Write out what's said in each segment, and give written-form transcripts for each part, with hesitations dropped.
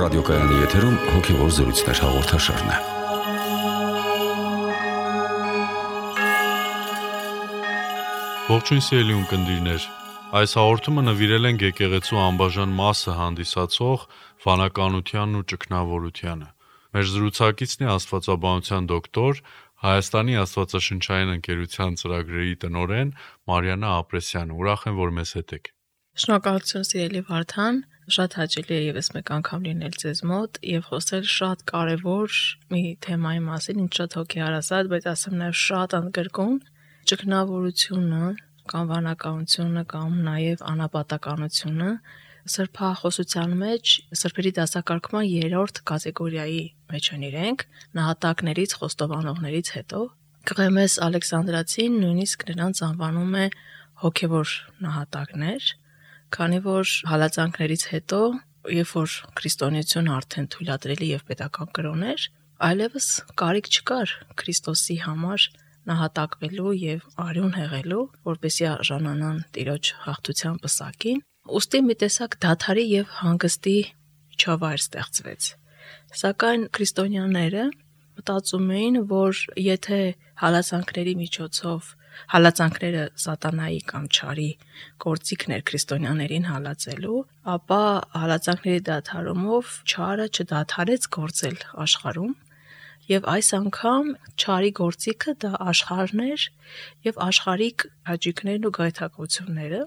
ռադիոկայանի եթերում հոգևոր զրույցներ հաղորդաշարն է։ Ողջույն սիրելի ունկնդիրներ, այս հաղորդումը նվիրել ենք եկեղեցու անբաժան մասը հանդիսացող վանականությանն ու ճգնավորությանը։ Մեր զրուցակիցն է աստվածաբանության դոկտոր, Հայաստանի աստվածաշնչային ընկերության ծրագրերի տնօրեն Մարիաննա Ապրեսյանը։ Ուրախ եմ, որ մեզ հետ եք։ Շնորհակալություն սիրելի Վարդան, շատ հաճելի է ևս մեկ անգամ լինել ձեզ մոտ եւ խոսել շատ կարեւոր մի թեմայի մասին, ինչ շատ հոգեհարազատ, բայց ասեմ նաեւ շատ ընդգրկուն, ճգնավորությունը կամ վանականությունը կամ նաեւ անապատականությունը սրբախոսության մեջ սրբերի դասակարգման 3-րդ կատեգորիայի մեջ են իրենք, նահատակներից, խոստովանողներից հետո Կղեմես Ալեքսանդրացին նույնիսկ նրանց անվանում է հոգևոր նահատակներ, քանի որ հալածանքներից հետո, երբ որ քրիստոնեությունը արդեն թույլատրելի եւ պետական կրոն էր, այլևս կարիք չկար Քրիստոսի համար նահատակվելու եւ արյուն հեղելու, որպեսզի արժանանան Տիրոջ հաղթության պսակին, ուստի մի տեսակ դադարի եւ հանգստի միջավայր ստեղծվեց։ Սակայն քրիստոնյաները մտածում էին, որ եթե հալածանքների միջոցով հալածանքները սատանայի կամ չարի գործիքն էր քրիստոնյաներին հալածելու, ապա հալածանքների դադարումով չարը չդադարեց գործել աշխարհում, եւ այս անգամ չարի գործիքը դա աշխարհն էր եւ աշխարհիկ հաճույքներն ու գայթակղությունները,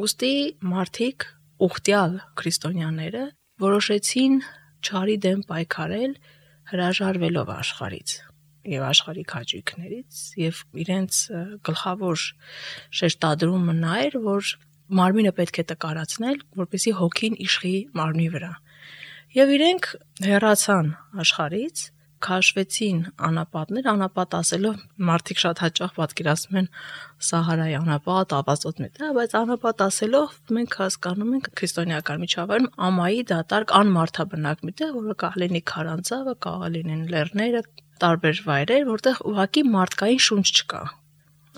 ուստի մարդիկ ուխտյալ քրիստոնյաները որոշեցին չարի դեմ պայքարել հրաժարվելով աշխարհից եւ աշխարհիկ հաճույքներից եւ իրենց գլխավոր շեշտադրումը նա էր, որ մարմինը պետք է տկարացնել, որպեսզի հոգին իշխի մարմնի վրա։ Եվ իրենք հեռացան աշխարհից, քաշվեցին անապատներ, անապատ ասելով մարդիկ շատ հաճախ պատկերացնում են Սահարայի անապատ, ավազոտ մետա, բայց անապատ ասելով մենք հասկանում ենք քրիստոնեական միջավայրում ամայի դատարկ անմարդաբնակ մի տեղ, որը կարող լինի քարանձավը, կարող լինեն լեռները, տարբեր վայրեր, որտեղ ուղղակի մարդկային շունչ չկա։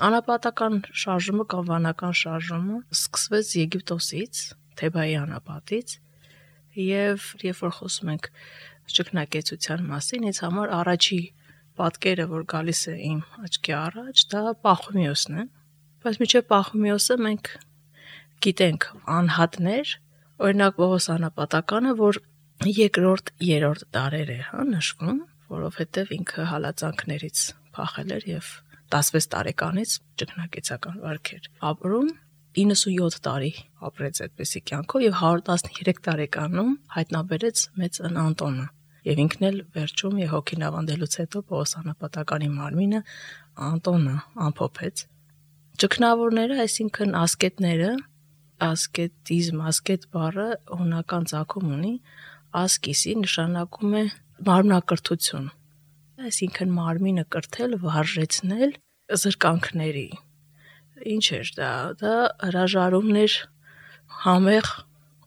Անապատական շարժումը կամ վանական շարժումը սկսվեց Եգիպտոսից, Թեբայի անապատից, եւ երբ որ խոսում ենք ճգնակեցության մասին, ինձ համար առաջի պատկերը, որ գալիս է իմ աչքի առաջ, դա Պախոմիոսն է, բայց մինչև Պախոմիոսը մենք գիտենք անհատներ, օրինակ Պողոս անապատականը, որ 2-րդ, 3-րդ դարեր է նշվում, որովհետև ինքը հալածանքներից փախել էր եւ 16 տարեկանից ճգնակեցական վարք էր ապրում, 97 տարի ապրեց այդպեսի կյանքով եւ 113 տարեկանում հայտնաբերեց մեծ Անտոնը եւ ինքն էլ վերջում եւ հոգին ավանդելուց հետո Պողոս անապատականի մարմինը Անտոնը ամփոփեց։ Ճգնավորները, այսինքն ասկետները, ասկետիզմ, ասկետ բառը հունական ծագում ունի, ասկիսի նշանակում է մարմնակրթություն, այսինքն մարմինը կրթել, վարժեցնել զրկանքների։ Ինչ էր դա հրաժարումներ համեղ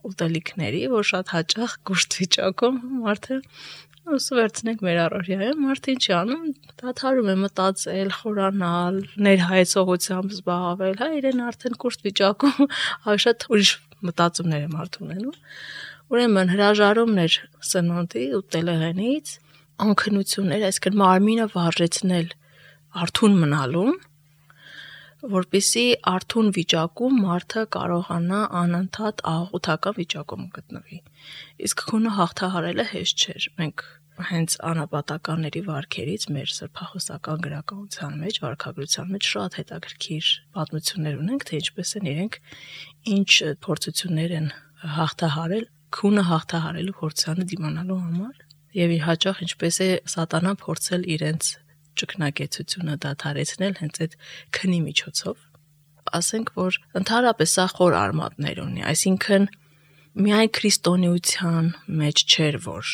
ուտելիքների, որ շատ հաճախ կուշտ վիճակում մարդը վերցնենք մեր առօրյայում, մարդը ինչ անում, դադարում է մտածել, խորանալ, ներհայեցողությամբ զբաղվել, իրեն արդեն կուշտ վիճակում շատ ուրիշ մտածումներ է մարդը ունենում։ Ուրեմն հրաժարումներ սնունդի ուտելեղենից, անքնություններ, այսինքն մարմինը վարժեցնել արթուն մնալուն, որպեսզի արթուն վիճակում մարդը կարողանա անընդհատ աղոթական վիճակում գտնվի։ Իսկ քունը հաղթահարելը հեշտ չէր։ Մենք հենց անապատականների վարքերից մեր սրբախոսական գրականության մեջ, վարքագրության մեջ շատ հետաքրքիր պատմություններ ունենք, թե ինչպես են իրենք ինչ փորձություններ են հաղթահարել քունը հաղթահարելու փորձանը դիմանալու համար, եւ հաճախ ինչպես է սատանան փորձել իրենց ճգնակեցությունը դադարեցնել հենց այդ քնի միջոցով։ Ասենք, որ ընդհանրապես սա խոր արմատներ ունի, այսինքն միայն քրիստոնեության մեջ չէր, որ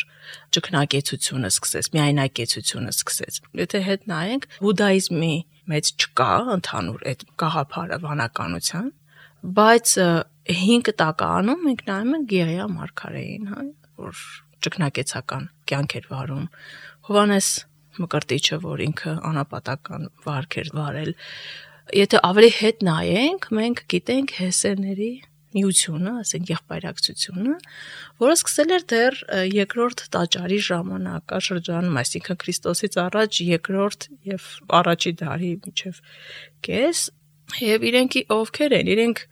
ճգնակեցությունը սկսեց, միայնակեցությունը սկսեց։ Եթե հետ նայենք, բուդդայիզմի մեջ չկա ընդհանուր այդ գաղափարը վանականության, բայց 5 տականում մենք նայում ենք Գեղիա մարգարեին, որ ճգնակեցական կյանք էր վարում, Հովհաննես Մկրտիչը, որ ինքը անապատական վարք էր վարել։ Եթե ավելի հետ նայենք, մենք գիտենք հեսեների միությունը, ասենք եղբայրակցությունը, որը սկսել էր դեռ երկրորդ տաճարի ժամանակաշրջանում, այսինքն Քրիստոսից առաջ երկրորդ եւ առաջի դարի միջև կես, եւ իրենք ովքեր են, իրենք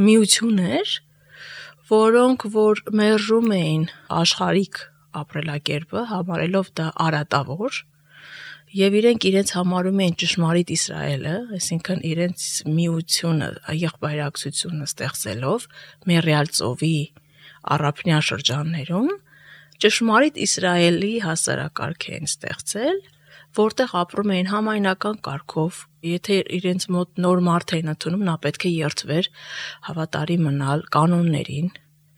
միություններ, որոնք որ մերժում էին աշխարհիկ ապրելակերպը, համարելով դա արատավոր, եւ իրենց համարում էին ճշմարիտ Իսրայելը, այսինքն իրենց միությունը, եղբայրակցությունը ստեղծելով Մերիալ ծովի առափնյա շրջաններում, ճշմարիտ Իսրայելի հասարակարգ են ստեղծել, որտեղ ապրում էին համայնական կարգով, եթե իրենց մոտ նոր մարդ էին ընդունում, նա պետք է երթվեր հավատարի մնալ կանոններին,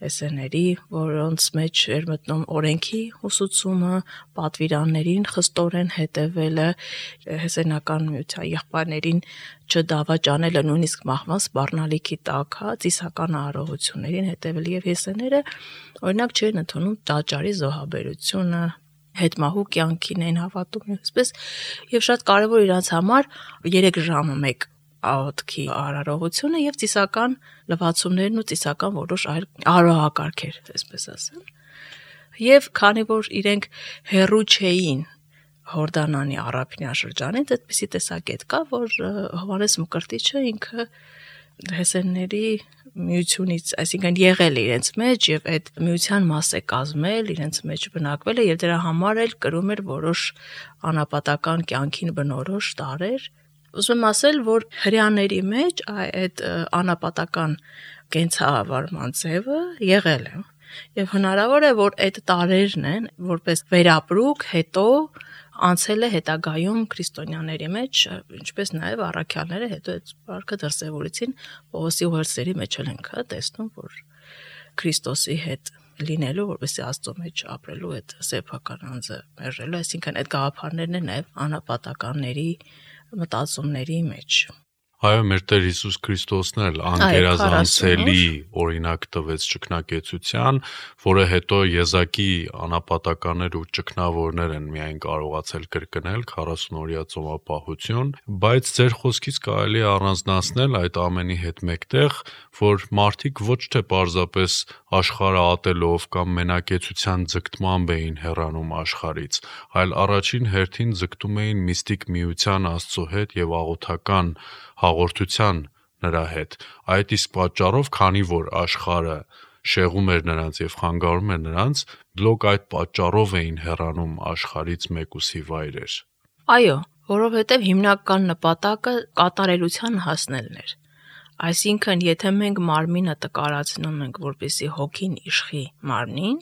էսեների, որոնց մեջ էր մտնում օրենքի ուսուցումը, պատվիրաններին խստորեն հետևելը, հեսենական միության եղբայրներին չդավաճանելը, նույնիսկ մահվան սպառնալիքի տակ, ծիսական արարողություններին հետևել եւ հեսեները օրինակ չէին ընդունում տաճարի զոհաբերությունը, հետմահու կյանքին էին հավատում, այսպես եւ շատ կարեւոր իրանց համար 3 ժամը 1 աղոթքի արարողությունը եւ ծիսական լվացումներն ու ծիսական որոշ այլ արարողակարգեր, այսպես ասեմ։ Եվ քանի որ իրենք հերու չէին Հորդանանի առափնյա շրջանից, այդպիսի տեսակետ կա, որ Հովհաննես Մկրտիչը ինքը հեսենների միությունից, այսինքն եղել իրենց մեջ եւ այդ միության մաս է կազմել, իրենց մեջ բնակվել է եւ դրա համար էլ կրում էր որոշ անապատական կյանքին բնորոշ տարեր։ Ուզում եմ ասել, որ հрьяաների մեջ այդ անապատական կենցաղավարման ձևը եղել է եւ հնարավոր է, որ այդ տարերն են, որպես վերապրուկ հետո անցել է հետագայում քրիստոնյաների մեջ, ինչպես նաեւ առաքյալները հետո այդ վարքը դրսևորեցին Պողոսի ուղերձների մեջ էլ ենք տեսնում, որ Քրիստոսի հետ լինելու, որպեսզի Աստծո մեջ ապրելու այդ սեփական անձը մերժելու, այսինքն այդ գաղափարներն են նաեւ անապատականների մտածումների մեջ։ Այո, մեր Տեր Հիսուս Քրիստոսն էլ անգերազանցելի օրինակ տվեց ճգնակեցության, որը հետո եզակի անապատականներ ու ճգնավորներ են միայն կարողացել կրկնել 40-օրյա ծովապահություն, բայց ձեր խոսքից կարելի է առանձնացնել այդ ամենի հետ մեկտեղ, որ մարդիկ ոչ թե պարզապես աշխարհը ատելով կամ մենակեցության ձգտմամբ էին հեռանում աշխարհից, այլ առաջին հերթին ձգտում էին միստիկ միության Աստծո հետ եւ աղոթական հաղորդության նրա հետ։ Այդ իսկ պատճառով, քանի որ աշխարհը շեղում էր նրանց եւ խանգարում էր նրանց, բլոկ այդ պատճառով էին հեռանում աշխարհից մեկուսի վայրեր։ Այո, որովհետեւ հիմնական նպատակը կատարելության հասնելն էր։ Այսինքն, եթե մենք մարմինը տկարացնում ենք, որպեսզի հոգին իշխի մարմնին,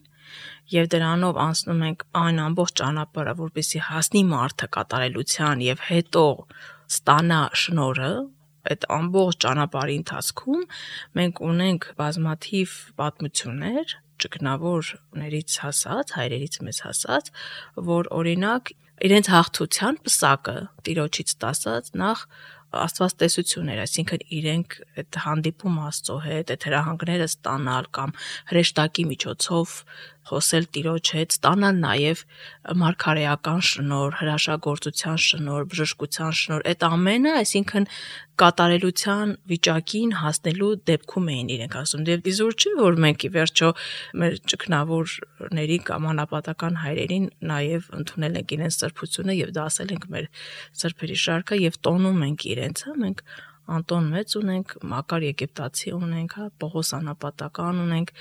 եւ դրանով անցնում ենք այն ամբողջ ճանապարհը, որպեսզի հասնի մարդը կատարելության եւ հետո ստանա շնորհը, այդ ամբողջ ճանապարհի ընթացքում մենք ունենք բազմաթիվ պատմություններ, ճգնավորներից հասած, հայրերից մեզ հասած, որ օրինակ իրենց հաղթության պսակը Տիրոջից ստացած նախ Աստվածտեսություն էր, այսինքն իրենք այդ հանդիպում Աստծո հետ, այդ հրահանգները ստանալ կամ հրեշտակի միջոցով խոսել Տիրոջ հետ, ստանալ նաև մարգարեական շնորհ, հրաշագործության շնորհ, բժշկության շնորհ, այդ ամենը, այսինքն կատարելության վիճակին հասնելու դեպքում էին իրենք ասում։ Եվ իզուր չէ, որ մենք ի վերջո մեր ճգնավորների կամ անապատական հայրերին նաև ընդունել ենք իրենց սրբությունը եւ դասել ենք մեր սրբերի շարքը եւ տոնում ենք իրենց, մենք Անտոն մեծ ունենք, Մակար Եգիպտացի ունենք, Պողոս անապատական ունենք,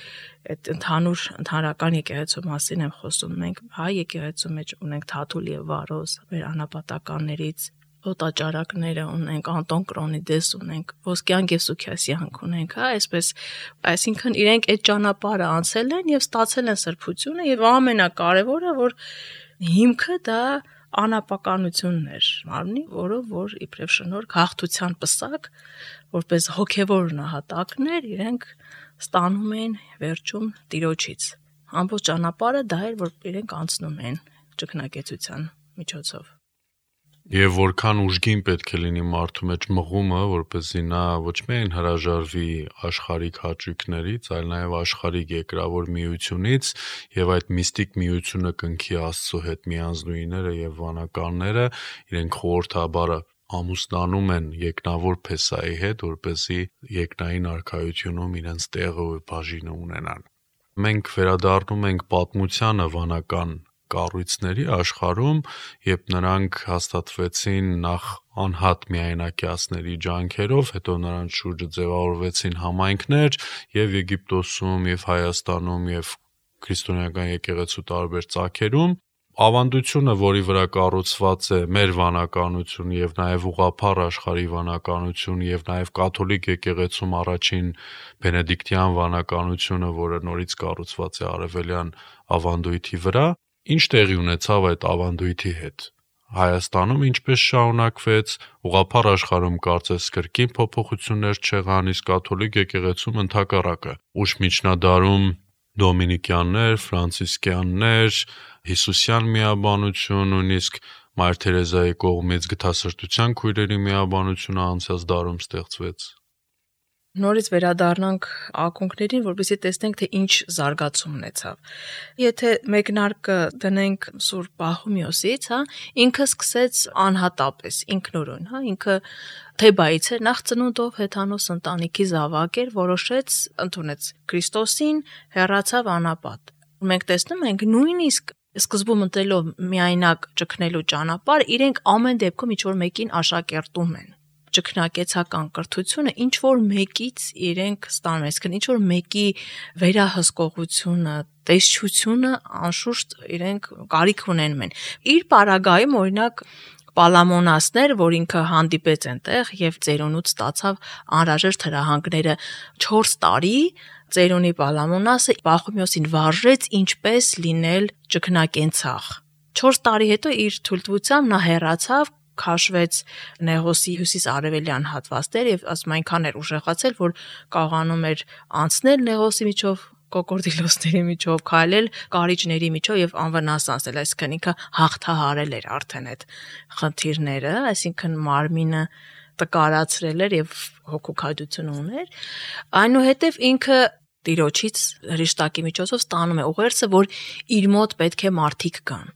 այդ ընդհանրական եկեղեցու մասին եմ խոսում, մենք հայ եկեղեցու մեջ ունենք Թաթուլ եւ Վարոս, մեր անապատականներից օտաճարակները ունենք, Անտոն Կրոնիդես ունենք, Ոսկյան Գևսուքիասյանք ունենք, այսինքն իրենք այդ ճանապարհը անցել են եւ ստացել են սրբությունը եւ ամենակարևորը, որ հիմքը դա անապականությունն էր մարմնի, որով որ իբրև շնորհք հաղթության պսակ, որպես հոգևոր նահատակներ իրենք ստանում են վերջում Տիրոջից։ Ամբողջ ճանապարհը դա էր, որ իրենք անցնում են ճգնակեցության միջոցով։ Եվ որքան ուժգին պետք է լինի մարդու մեջ մղումը, որպեսզի նա ոչ միայն հրաժարվի աշխարհիկ հաճույքներից, այլ նաև աշխարհիկ երկրավոր միությունից եւ այդ միստիկ միությունը կնքի Աստծո հետ միանձնույները եւ վանականները, իրենք խորհրդաբարը ամուսնանում են եկնավոր Փեսայի հետ, որպեսզի եկնային արքայությունում իրենց տեղը ու բաժինը ունենան։ Մենք վերադառնում ենք պատմությանը վանական կառույցների աշխարհում, երբ նրանք հաստատվեցին նախ անհատ միայնակիացների ջանքերով, հետո նրանց շուրջը ձևավորվեցին համայնքներ եւ Եգիպտոսում, եւ Հայաստանում, եւ քրիստոնեական եկեղեցու տարբեր ծագերում։ Ավանդությունը, որի վրա կառուցված է մեր վանականությունը եւ նաեւ ուղղափառ աշխարհի վանականությունը եւ նաեւ կաթոլիկ եկեղեցում առաջին բենեդիկտյան վանականությունը, որը նորից կառուցված է արևելյան ավանդույթի վրա, ինչ տեղի ունեցավ այդ ավանդույթի հետ։ Հայաստանում ինչպես շարունակվեց, ուղղափառ աշխարհում կարծես կրկին փոփոխություններ չեղան, իսկ կաթոլիկ եկեղեցում ընդհակառակը։ Ուշ միջնադարում դոմինիկյաններ, ֆրանցիսկյաններ, հիսուսյան միաբանություն, նույնիսկ Մայր Թերեզայի կողմից գթասրտության քույրերի միաբանությունը անցած դարում ստեղծվեց։ Նորից վերադառնանք ակունքներին, որպեսզի տեսնենք, թե ինչ զարգացում ունեցավ։ Եթե մեկնարկը դնենք Սուրբ Պախոմիոսից, ինքը սկսեց անհատապես, ինքնուրույն, ինքը Թեբայից էր, նախ ծնունդով հեթանոս ընտանիքի զավակ էր, որոշեց, ընդունեց Քրիստոսին, հեռացավ անապատ։ Մենք տեսնում ենք նույնիսկ սկզբում ընտրելով միայնակ ճգնելու ճանապարհ, իրենք ամեն դեպքում ինչ-որ մեկին աշակերտում են։ Ճգնակեցական կրթությունը ինչ-որ մեկից իրենք ստանում են, այսինքն ինչ-որ մեկի վերահսկողությունը, տեսչությունը անշուշտ իրենք կարիք ունեն։ Իր պարագայում, օրինակ, Պալամոնասներ, որ ինքը հանդիպեց այնտեղ եւ ծերունուց ստացավ անհրաժեշտ հրահանգները 4 տարի, ծերունի Պալամոնասը Պախոմիոսին վարժեց ինչպես լինել ճգնակենցաղ։ 4 տարի հետո իր թույլտվությամբ նա հեռացավ, քաշվեց Նեղոսի հյուսիս-արևելյան հատվածներ եւ ասում այնքան էր ուժեղացել, որ կարողանում էր անցնել Նեղոսի միջով, կոկորդիլոսների միջով, քայլել կարիճների միջով եւ անվնաս անցնել, այսինքն ինքը հաղթահարել էր արդեն այդ խնդիրները, այսինքն մարմինը տկարացրել էր եւ հոգուքայդություն ուներ, այնուհետեւ ինքը Տիրոջից հրեշտակի միջոցով ստանում է ուղերձը, որ իր մոտ պետք է մարդիկ գան,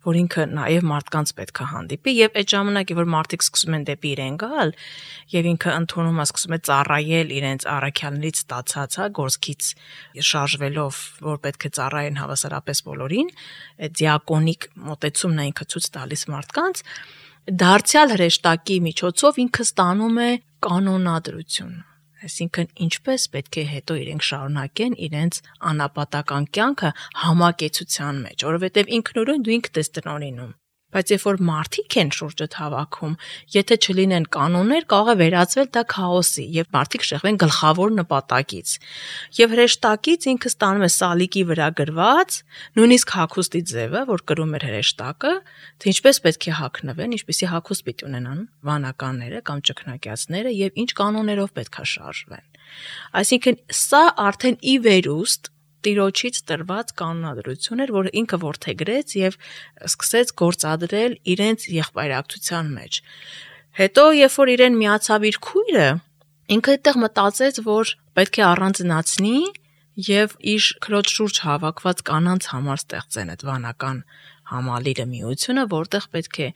որ ինքը նաև մարդկանց պետք է հանդիպի եւ այդ ժամանակ, որ մարդիկ սկսում են դեպի իրեն գալ եւ ինքը ընդունում է, սկսում է ծառայել իրենց առաքյալներից ստացած, գործքից շարժվելով, որ պետք է ծառայեն հավասարապես բոլորին, այդ դիակոնիկ մոտեցումն է ինքը ցույց տալիս մարդկանց, դարձյալ հրեշտակի միջոցով ինքը ստանում է կանոնադրություն։ Այսինքն ինչպես պետք է հետո իրենք շարունակեն իրենց անապատական կյանքը համակեցության մեջ, որովհետև ինքնուրույն դու ինքդ ես տնօրինում։ Բայց երբ որ մարդիկ են շուրջդ հավաքում, եթե չլինեն կանոններ, կարող է վերածվել դա քաոսի եւ մարդիկ շեղվեն գլխավոր նպատակից։ Եվ հրեշտակից ինքը ստանում է սալիկի վրա գրված, նույնիսկ հագուստի ձևը, որ կրում էր հրեշտակը, թե ինչպես պետք է հագնվեն, ինչպեսի հագուստ պիտի ունենան վանականները կամ ճգնակիացները եւ ինչ կանոններով պետք է շարժվեն։ Այսինքն սա արդեն ի վերուստ Տիրոջից տրված կանոնադրություն էր, որ ինքը որդեգրեց եւ սկսեց գործադրել իրենց եղբայրակցության մեջ։ Հետո, երբ որ իրեն միացավ իր քույրը, ինքը այդտեղ մտածեց, որ պետք է առանձնացնի եւ իր քրոջ շուրջ հավաքված կանանց համար ստեղծեն այդ վանական համալիրը միությունը, որտեղ պետք է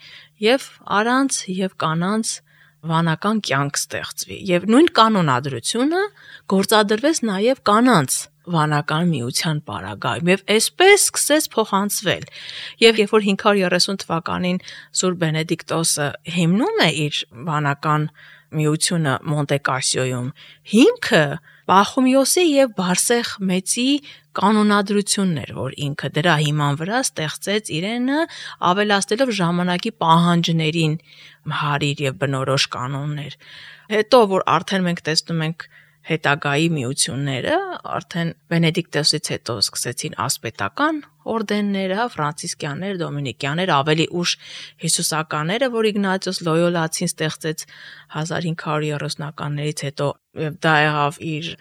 եւ առանց եւ կանանց վանական կյանք ստեղծվի եւ նույն կանոնադրությունը գործադրվեց նաեւ կանանց վանական միության պարագայում եւ այսպես սկսեց փոխանցվել եւ երբ որ 530 թվականին Սուրբ Բենեդիկտոսը հիմնում է իր վանական միությունը Մոնտե Կասիոյում, հիմքը Պախոմիոսի եւ Բարսեղ մեծի կանոնադրությունն էր, որ ինքը դրա հիման վրա ստեղծեց իրենը, ավելացնելով ժամանակի պահանջներին հարիր եւ բնորոշ կանոններ։ Հետո որ արդեն մենք տեսնում ենք հետագայի միությունները, արդեն Բենեդիկտոսից հետո սկսեցին ասպետական օրդենները, ֆրանցիսկյաններ, դոմինիկյաններ, ավելի ուշ հիսուսականները, որ Իգնատիոս Լոյոլացին ստեղծեց 1530-ականներից հետո, եւ դա եղավ իր,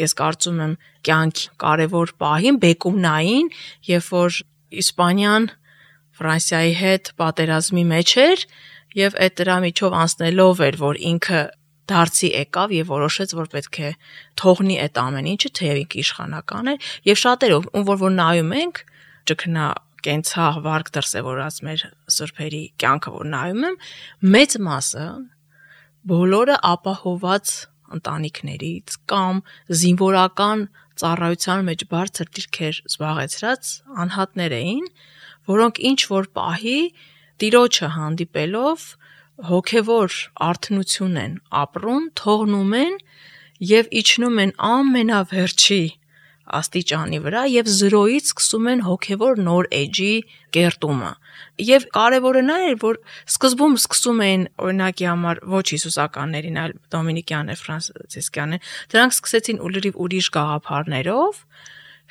ես կարծում եմ, կյանքի կարևոր պահին, բեկումնային, երբ որ Իսպանիան Ֆրանսիայի հետ պատերազմի մեջ էր, եւ այդ դրա միջով անցնելով էր, որ ինքը դարձի եկավ եւ որոշեց, որ պետք է թողնի այդ ամեն ինչը, թեև ինքը իշխանական էր, եւ շատերով, ում որ նայում ենք ճգնա կենցաղ վարկ դրսևորած մեր սրբերի կյանքը որ նայում եմ, մեծ մասը բոլորը ապահոված ընտանիքներից կամ զինվորական ծառայության մեջ բարձր դիրքեր զբաղեցրած անհատներ էին, որոնք ինչ որ պահի տիրոջը հանդիպելով հոգևոր արթնություն են ապրում, թողնում են եւ իջնում են ամենավերջի աստիճանի վրա եւ զրոյից սկսում են հոգևոր նոր էջի կերտումը։ Եվ կարևորը նա էր, որ սկզբում սկսում էին օրինակի համար ոչ հիսուսականներին, այլ դոմինիկյան է, ֆրանցիսկյան է, դրանք սկսեցին ուրիշ գաղափարներով,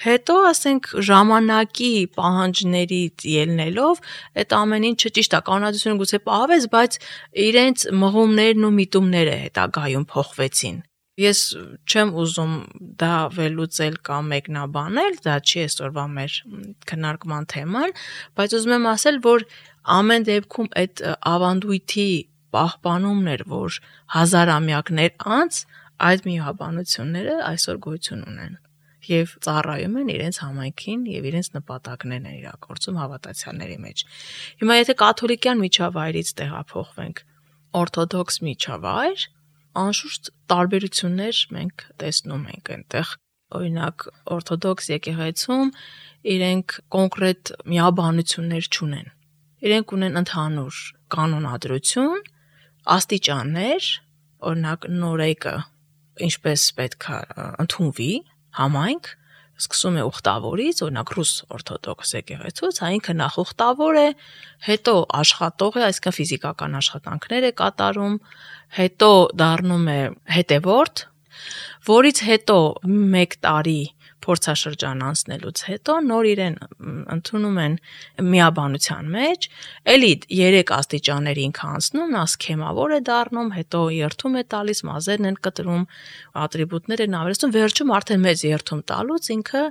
հետո ասենք ժամանակի պահանջներից ելնելով այդ ամեն ինչը ճիշտ է, կանոնադրությունը գուցե պահվեց, բայց իրենց մղումներն ու միտումները հետագայում փոխվեցին։ Ես չեմ ուզում դա վերլուծել կամ մեկնաբանել, դա չի այսօրվա մեր քննարկման թեման, բայց ուզում եմ ասել, որ ամեն դեպքում այդ ավանդույթի պահպանումն էր, որ հազարամյակներ անց այդ միաբանությունները այսօր գոյություն ունեն եւ ծառայում են իրենց համայնքին եւ իրենց նպատակներն են իրագործում հավատացյալների մեջ։ Հիմա եթե կաթոլիկյան միջավայրից տեղափոխվենք օրթոդոքս միջավայր, անշուշտ տարբերություններ մենք տեսնում ենք այնտեղ։ Օրինակ օրթոդոքս եկեղեցում իրենք կոնկրետ միաբանություններ չունեն։ Իրենք ունեն ընդհանուր կանոնադրություն, աստիճաններ, օրինակ նորեկը ինչպես պետք է ընդունվի համայնք, սկսում է ուխտավորից, օրինակ ռուս օրթոդոքս եկեղեցուց, ինքը նախ ուխտավոր է, հետո աշխատող է, այսինքն ֆիզիկական աշխատանքներ է կատարում, հետո դառնում է հետևորդ, որից հետո 1 տարի փորձաշրջան անցնելուց հետո նոր իրեն ընդունում են միաբանության մեջ, էլի 3 աստիճանների ինքը անցնում, նա սքեմավոր է դառնում, հետո երթում է տալիս, մազերն են կտրում, ատրիբուտներ են ավելացնում, վերջում արդեն մեծ երթում տալուց ինքը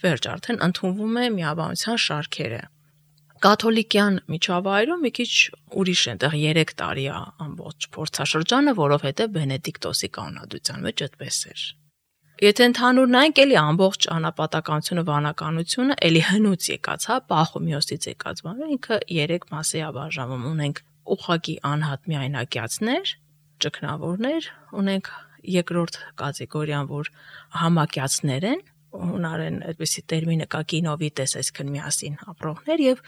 վերջ արդեն ընդունվում է միաբանության շարքերը։ Կաթոլիկյան միջավայրում մի քիչ ուրիշ է, այնտեղ 3 տարի է ամբողջ փորձաշրջանը, որովհետև Բենեդիկտոսի կանոնադրության մեջ այդպես էր։ Եթե ընդհանուր նայենք, էլի ամբողջ անապատականությունը, վանականությունը էլի հնուց եկած, Պախոմիոսից եկած բանը, ինքը 3 մասի է բաժանվում։ Ունենք ուղղակի անհատ միայնակյացներ, ճգնավորներ, ունենք երկրորդ կատեգորիան, որ համակյացներ են, հունարեն այդպիսի տերմինը կա կինովիտես, այսինքն միասին ապրողներ, եւ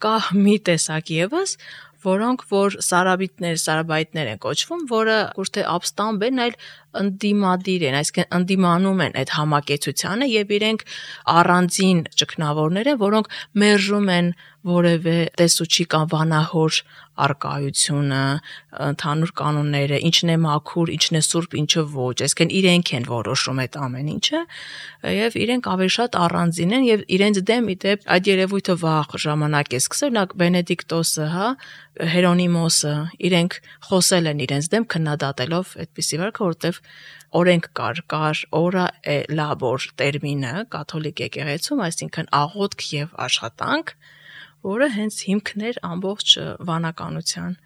կա մի տեսակ եւս, որոնք որ սարաբայտներ են կոչվում, որը ոչ թե ապստամբ են, այլ ընդդիմադիր են, այսինքն ընդդիմանում են այդ համակեցությանը եւ իրենք առանձին ճգնավորներ են, որոնք մերժում են որևէ տեսուչի կամ վանահոր արկայությունը, ընդհանուր կանոնները, ինչն է մաքուր, ինչն է սուրբ, ինչը ոչ, այսինքն իրենք են որոշում այդ ամեն ինչը եւ իրենք ավելի շատ առանձին են եւ իրենց դեմ իդեպ այդ երևույթը վաղ ժամանակ է սկսել, օրինակ Բենեդիկտոսը, Հերոնիմոսը, իրենք խոսել են իրենց դեմ քննադատելով այդպիսի վարքը, որտեվ օրենք կար օրա լաբոր տերմինը կաթոլիկ եկեղեցում, այսինքն աղոթք եւ աշխատանք, որը հենց հիմքն էր ամբողջ վանականության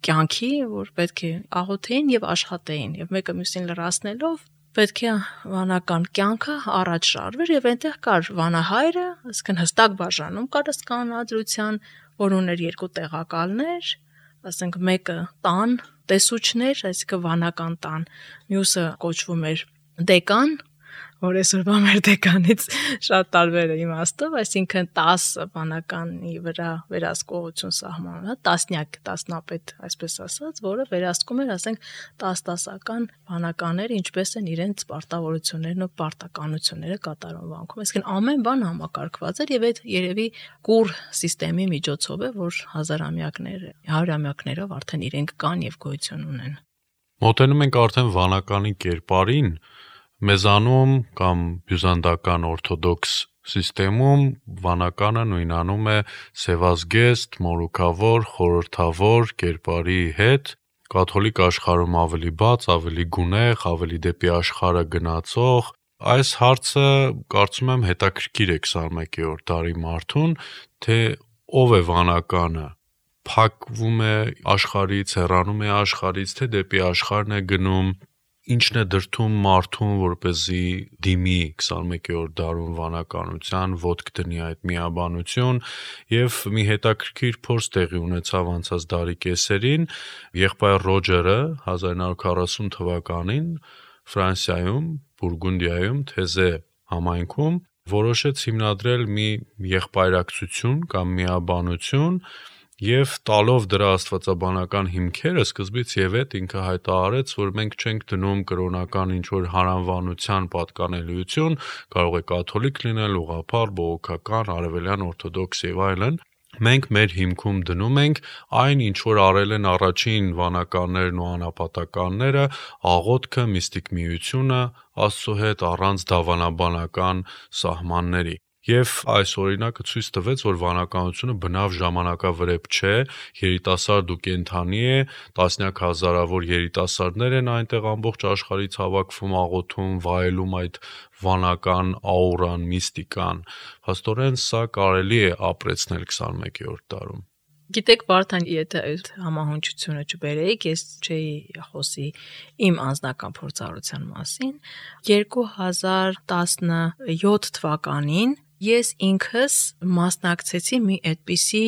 կյանքի, որ պետք է աղոթեին եւ աշխատեին եւ մեկը մյուսին լրացնելով պետք է վանական կյանքը առաջ շարվեր եւ այնտեղ կար վանահայրը, այսինքն հստակ բաժանում կար կանոնադրության, որ ուներ 2 տեղակալներ, ասենք մեկը տան տեսուչներ, այսինքն վանական տան, մյուսը կոչվում էր դեկան, որ այսօրվա մեր դեկանից շատ տարբեր է իմաստով, այսինքն 10 վանականի վրա վերահսկողություն սահմանված, տասնյակ տասնապետ, այսպես ասած, որը վերահսկում էր, ասենք 10-10-ական վանականները, ինչպես են իրենց պարտավորություններն ու պարտականությունները կատարում վանքում, այսինքն ամեն բան համակարգված էր եւ այդ երևի կուր համակարգի միջոցով է, որ հարյուրամյակներով արդեն իրենք կան եւ գոյություն ունեն։ Մոտենում ենք արդեն վանականի կերպարին, մեզանում կամ բյուզանդական օրթոդոքս սիստեմում վանականը նույնանում է սևազգեստ, մորուքավոր, խորհրդավոր կերպարի հետ, կաթոլիկ աշխարհում ավելի բաց, ավելի գունեղ, ավելի դեպի աշխարհը գնացող։ Այս հարցը կարծում եմ հետաքրքիր է 21-րդ դարի մարդուն, թե ով է վանականը, փակվում է աշխարհից, հեռանում է աշխարհից, թե դեպի աշխարհն է գնում։ ինչն է դրդում մարդուն, որպեսզի դիմի 21-րդ դարում վանականության, ոտք դնի այդ միաբանություն, եւ մի հետաքրքիր փորձ տեղի ունեցավ անցած դարի կեսերին, եղբայր Ռոջերը 1940 թվականին Ֆրանսիայում, Բուրգունդիայում, Թեզե համայնքում որոշեց հիմնադրել մի եղբայրակցություն կամ միաբանություն եւ տալով դրա աստվածաբանական հիմքերը սկզբից եւ այդ ինքը հայտարարեց, որ մենք չենք դնում կրոնական ինչ-որ հարանվանության պատկանելիություն, կարող է կաթոլիկ լինել, ուղղափառ, բողոքական, արևելյան օրթոդոքս եւ այլն։ Մենք մեր հիմքում դնում ենք այն, ինչ որ արել են առաջին վանականներն ու անապատականները, աղոթքը, միստիկ միությունը, Աստծո հետ առանց դավանաբանական սահմանների։ Եվ այս օրինակը ցույց տվեց, որ վանականությունը բնավ ժամանակավրեպ չէ, երիտասարդ ու կենդանի է, տասնյակ հազարավոր երիտասարդներ են այնտեղ ամբողջ աշխարհից հավաքվում, աղոթում, վայելում այդ վանական աուրան, միստիկան։ Փաստորեն սա կարելի է ապրեցնել 21-րդ դարում։ Գիտեք, Վարդան, եթե այդ համահունչությունը չբերեիք, ես չէի խոսի իմ անձնական փորձառության մասին։ 2017 թվականին ես ինքս մասնակցեցի մի այդպիսի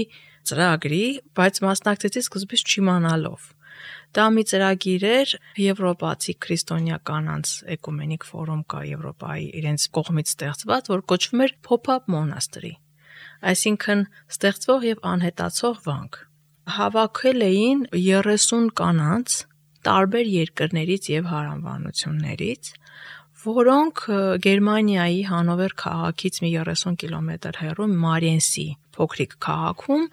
ծրագրի, բայց մասնակցեցի սկզբից չիմանալով։ Դա մի ծրագիր էր Եվրոպացի քրիստոնյա կանանց էկումենիկ ֆորում կա Եվրոպայի իրենց կողմից ստեղծված, որ կոչվում էր Pop-up Monastery, այսինքն ստեղծվող եւ անհետացող վանք։ Հավաքել էին 30 կանանց տարբեր երկրներից եւ հարանվանություններից, որոնք Գերմանիայի Հանովեր քաղաքից մի 30 կիլոմետր հեռու Մարիենսի փոքրիկ քաղաքում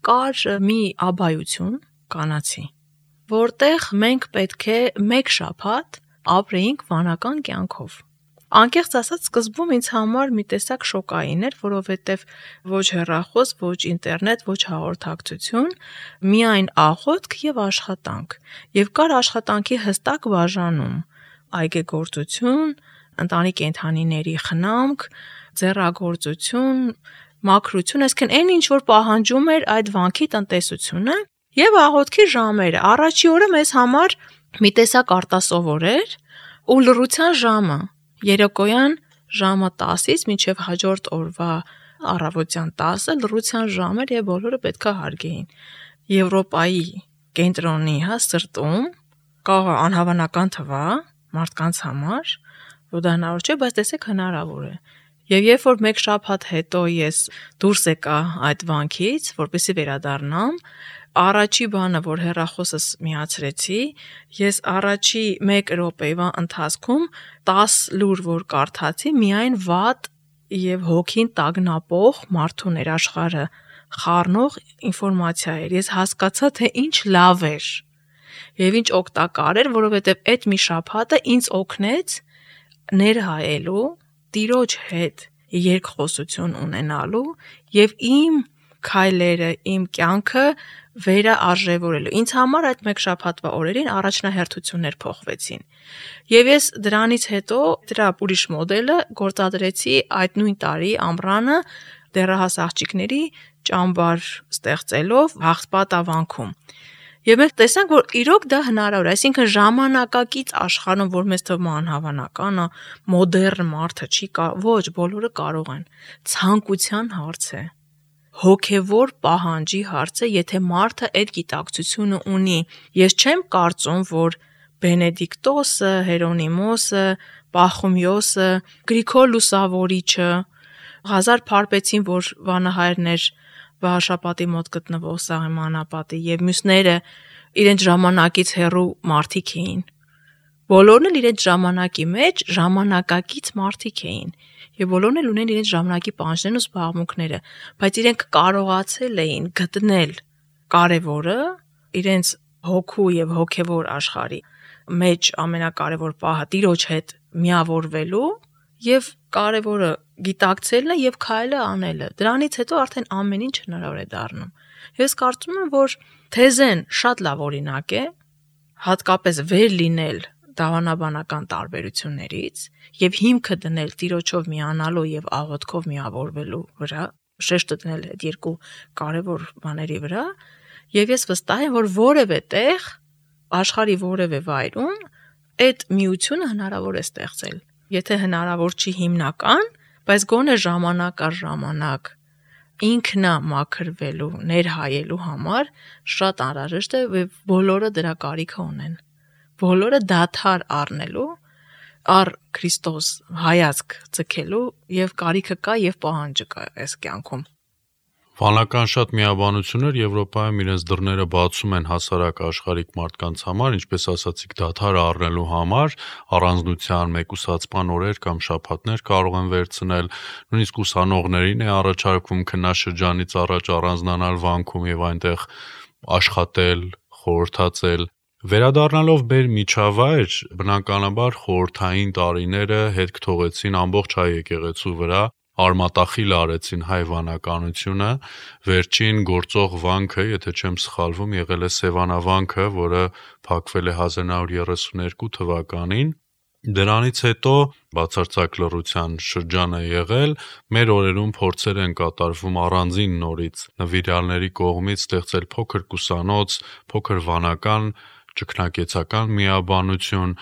կար մի աբայություն կանացի, որտեղ մենք պետք է մեկ շաբաթ ապրեինք վանական կյանքով։ Անկեղծ ասած, սկզբում ինձ համար մի տեսակ շոկային էր, որովհետև ոչ հեռախոս, ոչ ինտերնետ, ոչ հաղորդակցություն, միայն աղոթք եւ աշխատանք։ Եվ կար աշխատանքի հստակ բաժանում՝ այգեգործություն, ընտանի կենդանիների խնամք, ձեռագործություն, մաքրություն, այսինքն այն ինչ որ պահանջում էր այդ վանքի տնտեսությունը, եւ աղոթքի ժամերը։ Առաջի օրը մեզ համար մի տեսակ արտասովոր էր ու լռության ժամը, երեկոյան ժամը 10-ից մինչև հաջորդ օրվա առավոտյան 10-ը լռության ժամ էր եւ բոլորը պետքա հարգեին։ Եվրոպայի կենտրոնի սրտում կարող է անհավանական թվա մարդկանց համար, որ դա հնարավոր չէ, բայց տեսեք հնարավոր է։ Եվ երբ որ մեկ շաբաթ հետո ես դուրս եկա այդ վանքից, որպեսզի վերադառնամ, առաջի բանը, որ հեռախոսս միացրեցի, ես առաջի 1 րոպեվա ընթացքում 10 լուր որ կարդացի, միայն վատ եւ հոգին տագնապող մարդու ներաշխարհը խառնող ինֆորմացիա էր։ Ես հասկացա, թե ինչ լավ էր եւ ինչ օգտակար էր, որովհետեւ այդ մի շաբաթը ինձ օգնեց ներհայելու, Տիրոջ հետ երկխոսություն ունենալու եւ իմ քայլերը, իմ կյանքը վերաարժևորելու։ Ինձ համար այդ մեկ շաբաթվա օրերին առաջնահերթություններ փոխվեցին։ Եվ ես դրանից հետո դրա ուրիշ մոդելը գործադրեցի այդ նույն տարի ամռանը դեռահաս աղջիկների ճամբար ստեղծելով Հաղսպատավանքում։ Եվ մենք տեսանք, որ իրոք դա հնարավոր է, այսինքն ժամանակակից աշխարհում, որ մեզ թվում է անհավանական, մոդեռն մարդը չի ոչ, բոլորը կարող են։ Ցանկության հարց է, հոգևոր պահանջի հարց է, եթե մարդը այդ գիտակցությունը ունի։ Ես չեմ կարծում, որ Բենեդիկտոսը, Հերոնիմոսը, Պախոմիոսը, Գրիգոր Լուսավորիչը, Ղազար Փարպեցին, որ վանահայրն էր Վահաշապատի մոտ գտնվող Սահմանապատի եւ մյուսները իրենց ժամանակից հեռու մարդիկ էին։ Բոլորն էլ իրենց ժամանակի մեջ ժամանակակից մարդիկ էին եւ բոլորն էլ ունեն իրենց ժամանակի պահանջներն ու զբաղմունքները, բայց իրենք կարողացել էին գտնել կարևորը իրենց հոգու եւ հոգեվոր աշխարհի մեջ ամենակարևոր պահը Տիրոջ հետ միավորվելու եւ կարևորը գիտակցելն է եւ քայլը անելը։ Դրանից հետո արդեն ամեն ինչ հնարավոր է դառնում։ Ես կարծում եմ, որ Թեզեն շատ լավ օրինակ է, հատկապես վեր լինել դավանաբանական տարբերություններից եւ հիմքը դնել Տիրոջով միանալու եւ աղոթքով միավորվելու վրա, շեշտը դնել այդ երկու կարևոր բաների վրա, եւ ես վստահ եմ, որ որևէ տեղ աշխարհի որևէ վայրում այդ միությունը հնարավոր է ստեղծել։ Եթե հնարավոր չի հիմնական, բայց գոնե ժամանակ առ ժամանակ ինքնա մաքրվելու, ներհայելու համար շատ անհրաժեշտ է, եւ բոլորը դրա կարիքը ունեն։ Բոլորը դադար առնելու, առ Քրիստոս հայացք ցկելու եւ կարիքը կա եւ պահանջը կա այս կյանքում։ Վանական շատ միաբանություններ Եվրոպայում իրենց դռները բացում են հասարակ աշխարհիկ մարդկանց համար, ինչպես ասացիք, դադար առնելու համար, առանձնության մեկուսացման օրեր կամ շաբաթներ կարող են վերցնել, նույնիսկ ուսանողներին է առաջարկվում քննաշրջանից առաջ առանձնանալ վանքում եւ այնտեղ աշխատել, խորհրդածել։ Վերադառնալով մեր միջավայր, բնականաբար խորհրդային տարիները հետք թողեցին ամբողջ հայ եկեղեցու վրա, արմատախիլ արեցին հայ վանականությունը, վերջին գործող վանքը, եթե չեմ սխալվում, եղել է Սևանավանքը, որը փակվել է 1932 թվականին։ Դրանից հետո բացարձակ լռության շրջան է եղել, մեր օրերում փորձեր են կատարվում առանձին նորից նվիրյալների կողմից ստեղծել փոքր կուսանոց, փոքր վանական, ճգնակեցական միաբանություն,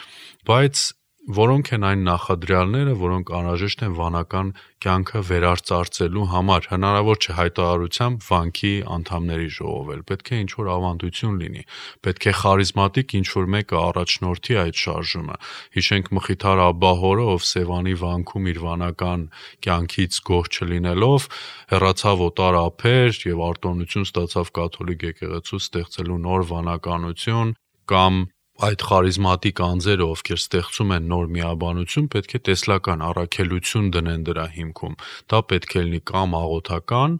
բայց որոնք են այն նախադրյալները, որոնք անհրաժեշտ են վանական կյանքը վերարծարծելու համար, հնարավոր չէ հայտարարությամբ վանքի անդամների ժողովել, պետք է ինչ-որ ավանդություն լինի, պետք է խարիզմատիկ ինչ-որ մեկը առաջնորդի այդ շարժումը։ Հիշենք Մխիթար Աբբահորը, ով Սևանի վանքում իր վանական կյանքից գոհ չլինելով, հեռացավ օտար ափեր եւ արտոնություն ստացավ կաթոլիկ եկեղեցու ստեղծելու նոր վանականություն, կամ այդ խարիզմատիկ անձերը, ովքեր ստեղծում են նոր միաբանություն, պետք է տեսլական առաքելություն դնեն դրա հիմքում։ Դա պետք է լինի կամ աղոթական,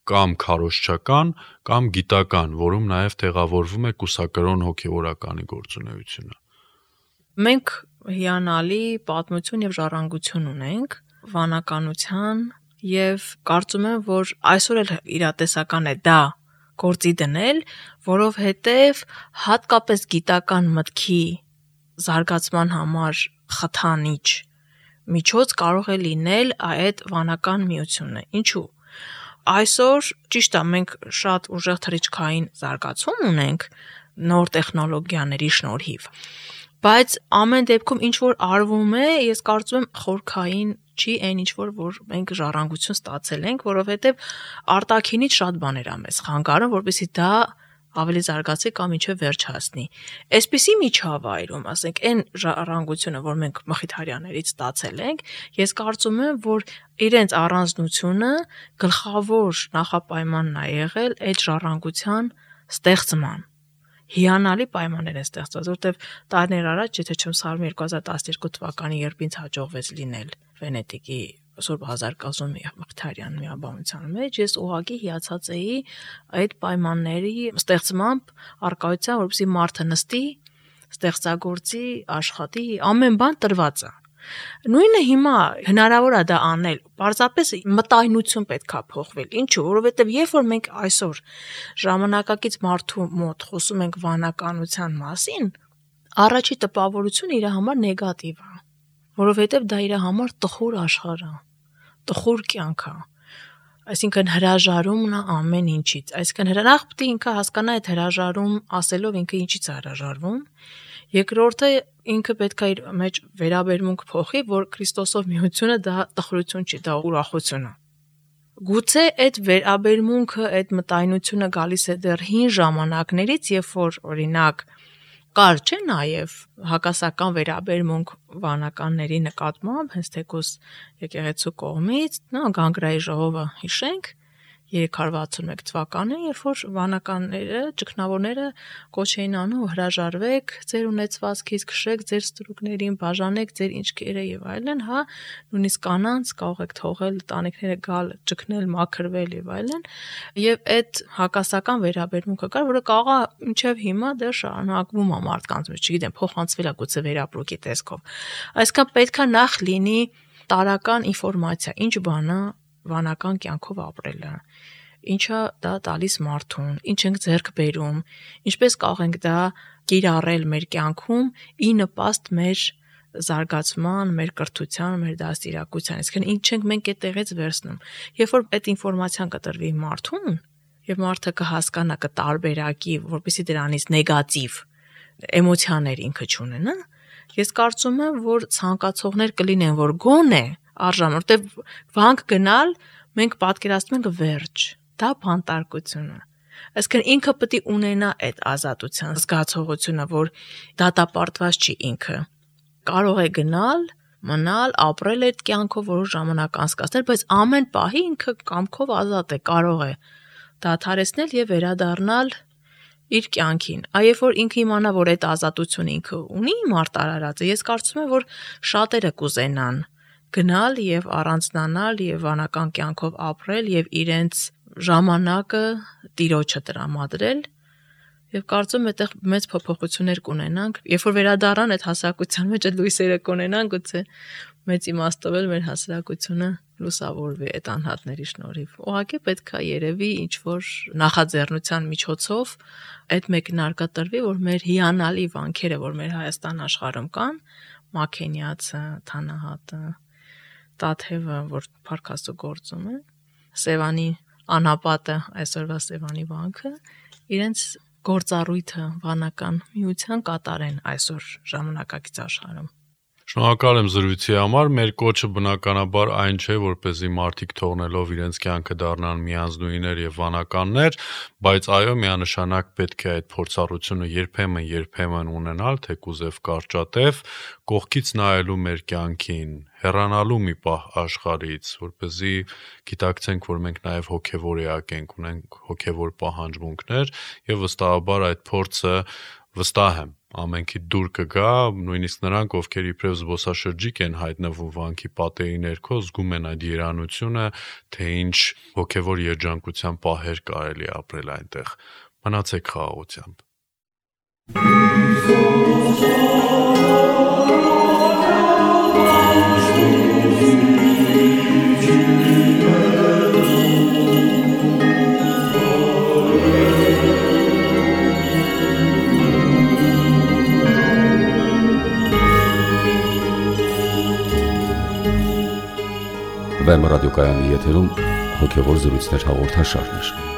կամ քարոզչական, կամ գիտական, որում նաև տեղավորվում է կուսակրոն հոգևորականի գործունեությունը։ Մենք հիանալի պատմություն եւ ժառանգություն ունենք վանականության եւ կարծում եմ, որ այսօր էլ իրատեսական է դա գործի դնել, որովհետև հատկապես գիտական մտքի զարգացման համար խթանիչ միջոց կարող է լինել այդ վանական միությունը։ Ինչու՞։ Այսօր ճիշտ է, մենք շատ ուժեղ թռիչքային զարգացում ունենք նոր տեխնոլոգիաների շնորհիվ, բայց ամեն դեպքում ինչ որ արվում է, ես կարծում եմ խորքային չի այն ինչ որ մենք ժառանգություն ստացել ենք, որովհետև արտաքինից շատ բաներ ա մեզ խանգարում, որպեսզի դա ավելի զարգացի կամ ինչև վերջ հասնի։ Այսպիսի միջավայրում, ասենք, այն ժառանգությունը, որ մենք Մխիթարյաններից ստացել ենք, ես կարծում եմ, որ իրենց առանձնությունը գլխավոր նախապայմանն ա եղել այդ ժառանգության ստեղծման։ Հիանալի պայմաններ են ստեղծված, որտեղ տարիներ առաջ, եթե չեմ սխալվում, 2012 թվականի երբ ինձ հաջողվեց լինել Վենետիկի Սուրբ Հազարկազում Մխիթարյան միաբանության մեջ, ես ուղղակի հիացած էի այդ պայմանների ստեղծմամբ, առկայության, որպեսզի մարդը նստի, ստեղծագործի, աշխատի, ամեն բան տրված է։ Նույնը հիմա հնարավոր է դա անել, պարզապես մտայնություն պետք է փոխվել։ Ինչու՞, որովհետև երբ որ մենք այսօր ժամանակակից մարդու մոտ խոսում ենք վանականության մասին, առաջի տպավորությունը իր համար նեգատիվ է, որովհետև դա իր համար տխուր աշխարհ է, տխուր կյանք է, այսինքն հրաժարումն է ամեն ինչից, այսինքն հրանախ պետք է ինքը հասկանա այդ հրաժարում ասելով ինքը ինչից է հրաժարվում, երկրորդը ինքը պետք է իր մեջ վերաբերմունք փոխի, որ Քրիստոսով միությունը դա տխրություն չի, դա ուրախություն է։ Գուցե այդ վերաբերմունքը, այդ մտայնությունը գալիս է դեռ հին ժամանակներից, երբ որ օրինակ կար չէ նաև հակասական վերաբերմունք վանականների նկատմամբ, հենց թեկուզ եկեղեցու կողմից, Գանգրայի ժողովը հիշենք 361 թվականին, երբ որ վանականները, ճգնավորները կոչ էին անում հրաժարվեք ձեր ունեցվածքից, քշեք ձեր ստրուկներին, բաժանեք ձեր ինչքերը եւ այլն, հա, նույնիսկ կանանց կարող եք թողել տանիքները գալ, ճգնել, մաքրվել եւ այլն, եւ այդ հակասական վերաբերմունքը կար, որը կարող է մինչեւ հիմա դեռ շարունակվում է մարդկանց մեջ, չգիտեմ, փոխանցվել է գուցե վերապրուկի տեսքով։ Այսինքն պետքա նախ լինի տարական ինֆորմացիա, ինչ բան է վանական կյանքով ապրելը, ինչա դա տալիս մարդուն, ինչ ենք ձեռք բերում, ինչպես կարող ենք դա կիրառել մեր կյանքում ի նպաստ մեր զարգացման, մեր կրթության, մեր դաստիարակության, այսինքն ինչ ենք մենք այդտեղից վերցնում։ Երբ որ այդ ինֆորմացիան կտրվի մարդուն, եւ մարդը կհասկանա, կտարբերակի, որպեսզի դրանից նեգատիվ էմոցիաներ ինքը չունենա, Ես կարծում եմ, որ ցանկացողներ կլինեն, որ գոնե արժան, որտեվ վանք գնալ մենք պատկերացնում ենք վերջ, դա բանտարկությունը։ Այսինքն ինքը պետք է ունենա այդ ազատության զգացողությունը, որ դատապարտված չի ինքը։ Կարող է գնալ, մնալ, ապրել այդ կյանքով որոշ ժամանակ անցկացնել, բայց ամեն պահի ինքը կամքով ազատ է, կարող է դադարեցնել եւ վերադառնալ իր կյանքին։ Այբ որ ինքը իմանա, որ այդ ազատությունը ինքը ունի մարտարարածը, ես կարծում եմ, որ շատերը կուզենան գնալ եւ առանձնանալ եւ վանական կյանքով ապրել եւ իրենց ժամանակը տիրոջը տրամադրել եւ կարծում եմ այդտեղ մեծ փոփոխություններ կունենանք, երբ որ վերադառնան այդ հասարակության մեջ այդ լույսերը կունենան, գուցե մեծ իմաստով էլ մեր հասարակությունը լուսավորվի այդ անհատների շնորհիվ։ Ուղղակի պետք է երևի ինչ որ նախաձեռնության միջոցով այդ մեկնարկը տրվի, որ մեր հիանալի վանքերը, որ մեր Հայաստան աշխարհում կան, Մաքենիացը, Թանահատը, Տաթևը, որ Փարքաստու գործում է, Սևանի անապատը, այսօրվա Սևանի վանքը, իրենց գործառույթը վանական միության կատարեն այսօր ժամանակակից աշխարհում։ Շնորհակալ եմ զրույցի համար, մեր կոչը բնականաբար այն չէ, որպեսզի մարդիկ թողնելով իրենց կյանքը դառնան միանձնուհիներ եւ վանականներ, բայց այո, միանշանակ պետք է այդ փորձառությունը երբեմն ունենալ, թեկուզ եւ կարճատև, կողքից նայելու մեր կյանքին, հեռանալու մի պահ աշխարհից, որպեսզի գիտակցենք, որ մենք նաեւ հոգեվոր էակ ենք, ունենք հոգեվոր պահանջմունքներ եւ վստահաբար այդ փորձը վստահ եմ ամենքի դուր կգա, նույնիսկ նրանք, ովքեր իբրև զբոսաշրջիկ են հայտնվում վանքի պատերի ներքո, զգում են այդ երանությունը, թե ինչ հոգևոր երջանկության պահեր կարելի ապրել այնտեղ։ Մնացեք խաղաղությամբ։ Վեմ ռադիոկայանի եթերում հոգևոր զրույցներ հաղորդաշարներ։